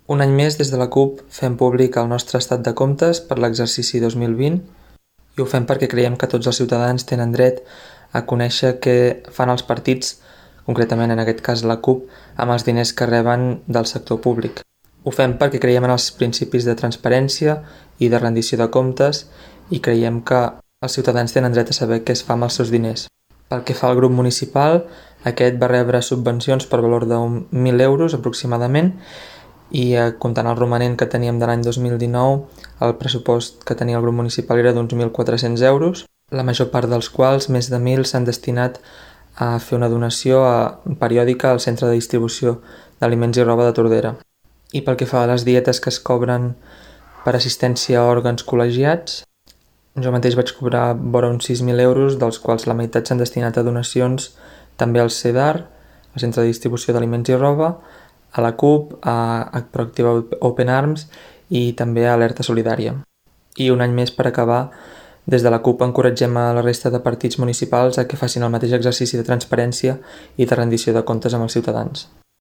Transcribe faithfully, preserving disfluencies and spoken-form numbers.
Un any més, des de la CUP, fem públic el nostre estat de comptes per l'exercici dos mil vint i ho fem perquè creiem que tots els ciutadans tenen dret a conèixer què fan els partits, concretament en aquest cas la CUP, amb els diners que reben del sector públic. Ho fem perquè creiem en els principis de transparència i de rendició de comptes i creiem que els ciutadans tenen dret a saber què es fa amb els seus diners. Pel que fa al grup municipal, aquest va rebre subvencions per valor de mil euros aproximadament i eh, comptant el romanent que teníem de l'any dos mil dinou, el pressupost que tenia el grup municipal era d'uns mil quatre-cents euros, la major part dels quals, més de mil, s'han destinat a fer una donació a, periòdica al centre de distribució d'aliments i roba de Tordera. I pel que fa a les dietes que es cobren per assistència a òrgans col·legiats, jo mateix vaig cobrar vora uns sis mil euros, dels quals la meitat s'han destinat a donacions també al CEDAR, al Centre de Distribució d'Aliments i Roba, a la CUP, a Proactiva Open Arms i també a Alerta Solidària. I un any més per acabar, des de la CUP encoratgem a la resta de partits municipals a que facin el mateix exercici de transparència i de rendició de comptes amb els ciutadans.